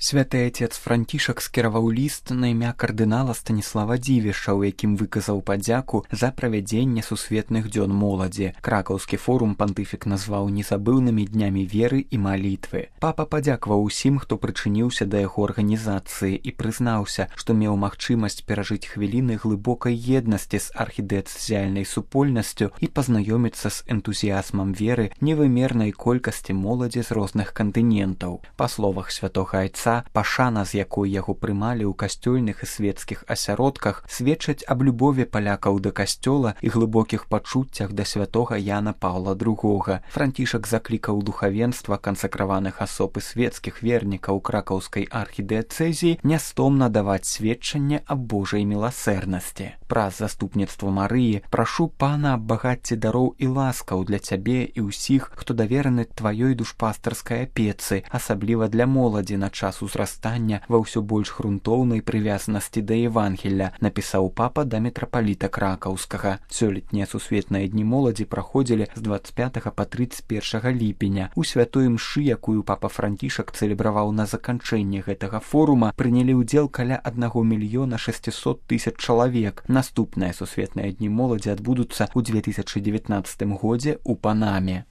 Святы отец Францішак скіраваў ліст на імя кардынала Станіслава Дзівіша, у якім выказаў падзяку за правядзенне сусветных дзён моладзі. Кракаўскі форум пантыфік назваў незабыўнымі днямі веры і малітвы. Папа падзякаваў усім, хто прычыніўся да яго арганізацыі і прызнаўся, што меў магчымасць перажыць хвіліны глыбокай еднасці з архідэцыяльнай супольнасцю і пазнаёміцца з энтузіязмам веры невымернай колькасці моладзі з розных кантынентаў. Па словах святога айца, пашана, з якой яго прымалі ў касцёльных і свецкіх асяродках, сведчаць аб любові палякаў да касцёла і глыбокіх пачуццях да святога Яна Паўла II. Францішак заклікаў духавенства, кансакраваных асоб і свецкіх вернікаў кракаўскай архідыяцэзіі нястомна даваць сведчанне аб Божай міласэрнасці. Праз заступніцтва Марыі прашу Пана аб багацці дароў і ласкаў для цябе і ўсіх, хто давераны тваёй душпастарскай апецы, асабліва для моладзі на час узрастання ва ўсё больш грунтоўнай прывязанасці да Евангелля, напісаў папа да мітрапаліта кракаўскага. Сёлетнія сусветныя дні моладзі праходзілі з 25 па 31 ліпеня. У святой мшы, якую папа Францішак цэлебраваў на заканчэнне гэтага форума, прынялі ўдзел каля 1 600 000 чалавек. Наступныя сусветныя дні моладзі адбудуцца ў 2019 годзе ў Панаме.